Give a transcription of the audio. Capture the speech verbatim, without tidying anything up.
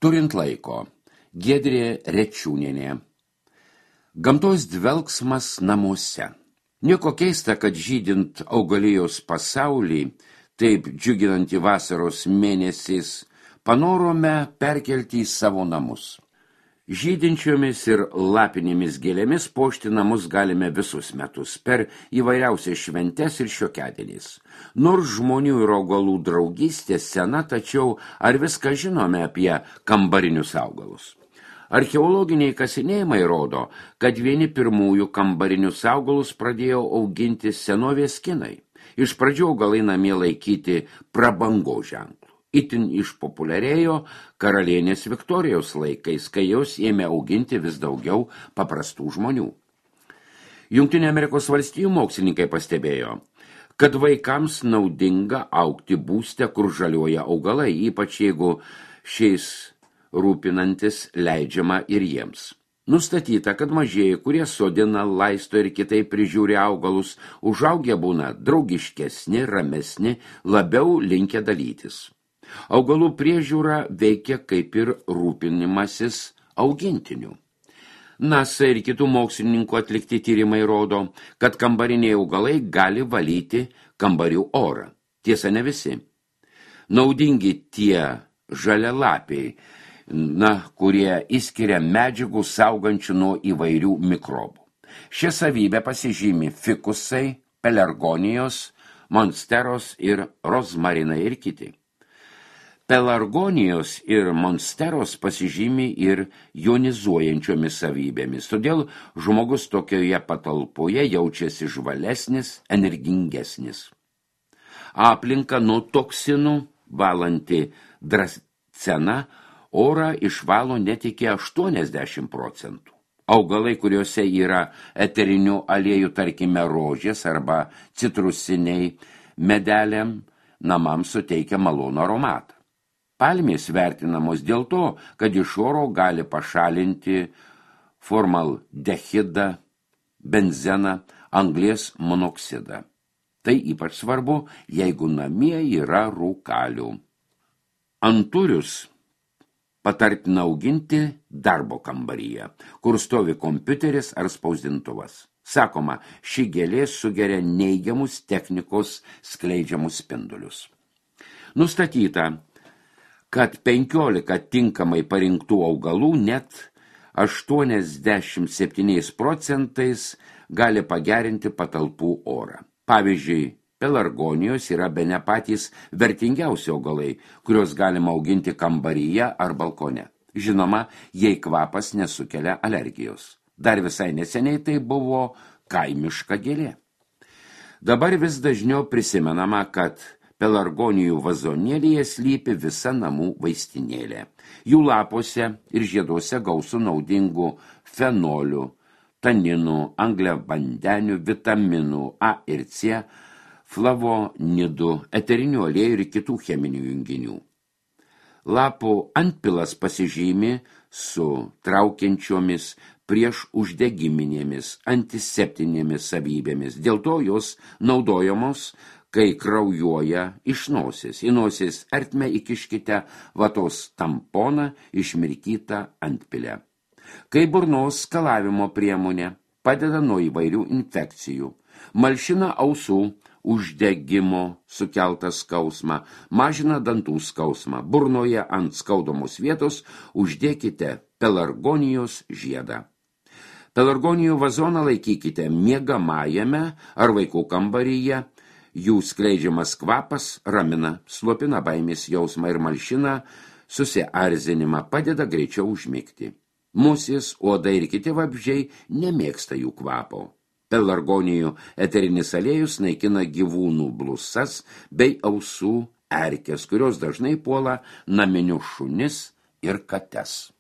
Turint laiko. Giedrė Rečiūnienė. Gamtos dvelksmas namuose. Nieko keista, kad žydint augalijos pasaulį, taip džiuginantį vasaros mėnesiais, panorome perkelti į savo namus. Žydinčiomis ir lapinėmis gėlėmis puošti namus galime visus metus, per įvairiausias šventes ir šiokiadieniais. Nors žmonių ir augalų draugystė sena, tačiau ar viską žinome apie kambarinius augalus? Archeologiniai kasinėjimai rodo, kad vieni pirmųjų kambarinius augalus pradėjo auginti senovės kinai. Iš pradžių augalai namie laikyti prabangos ženklų. Itin išpopuliarėjo karalienės Viktorijos laikais, kai jos ėmė auginti vis daugiau paprastų žmonių. Jungtinių Amerikos valstijų mokslininkai pastebėjo, kad vaikams naudinga augti būste, kur žaliuoja augalai, ypač jeigu šiais rūpinantis leidžiama ir jiems. Nustatyta, kad mažieji, kurie sodina, laisto ir kitaip prižiūri augalus, užaugę būna draugiškesni, ramesni, labiau linkę dalytis. Augalų priežiūra veikia kaip ir rūpinimasis augintinių. NASA ir kitų mokslininkų atlikti tyrimai rodo, kad kambariniai augalai gali valyti kambarių orą. Tiesa, ne visi. Naudingi tie žalialapiai, na, kurie įskiria medžiagų saugančių nuo įvairių mikrobų. Šią savybę pasižymi fikusai, pelargonijos, monsteros ir rozmarinai ir kiti. Pelargonijos ir monsteros pasižymi ir jonizuojančiomis savybėmis, todėl žmogus tokioje patalpoje jaučiasi žvalesnis, energingesnis. Aplinka nuo toksinų valanti drascena orą išvalo net iki aštuoniasdešimt procentų. Augalai, kuriuose yra eterinių aliejų, tarkime rožės arba citrusiniai medeliam, namams suteikia malonų aromatą. Palmės vertinamos dėl to, kad iš oro gali pašalinti formaldehidą, benzeną, anglies monoksidą. Tai ypač svarbu, jeigu namie yra rūkalių. Anturius patartina auginti darbo kambaryje, kur stovi kompiuteris ar spausdintuvas. Sakoma, ši gėlė sugeria neigiamus technikos skleidžiamus spindulius. Nustatyta, kad penkiolika tinkamai parinktų augalų net aštuoniasdešimt septyniais procentais gali pagerinti patalpų orą. Pavyzdžiui, pelargonijos yra bene patys vertingiausi augalai, kuriuos galima auginti kambaryje ar balkone. Žinoma, jei kvapas nesukelia alergijos. Dar visai neseniai tai buvo kaimiška gėlė. Dabar vis dažniau prisimenama, kad pelargonijų vazonėlyje slypi visa namų vaistinėlė. Jų lapuose ir žieduose gausu naudingų fenolių, taninų, angliavandenių, vitaminų A ir C, flavonidų, eterinių aliejų ir kitų cheminių junginių. Lapų antpilas pasižymi su traukiančiomis prieš uždegiminėmis, antiseptinėmis savybėmis. Dėl to jos naudojamos, kai kraujuoja iš nosies. Į nosies ertmę įkiškite vatos tamponą išmirkytą antpilę. Kai burnos skalavimo priemonė padeda nuo įvairių infekcijų, malšina ausų uždegimo sukeltą skausmą, mažina dantų skausmą. Burnoje ant skaudomos vietos uždėkite pelargonijos žiedą. Pelargonijų vazoną laikykite miegamajame ar vaikų kambaryje. Jų skleidžiamas kvapas ramina, slopina baimės jausmą ir malšina susiarzinimą, padeda greičiau užmigti. Musės, uodai ir kiti vabzdžiai nemėgsta jų kvapo. Pelargonijų eterinis aliejus naikina gyvūnų blusas bei ausų erkes, kurios dažnai puola naminius šunis ir kates.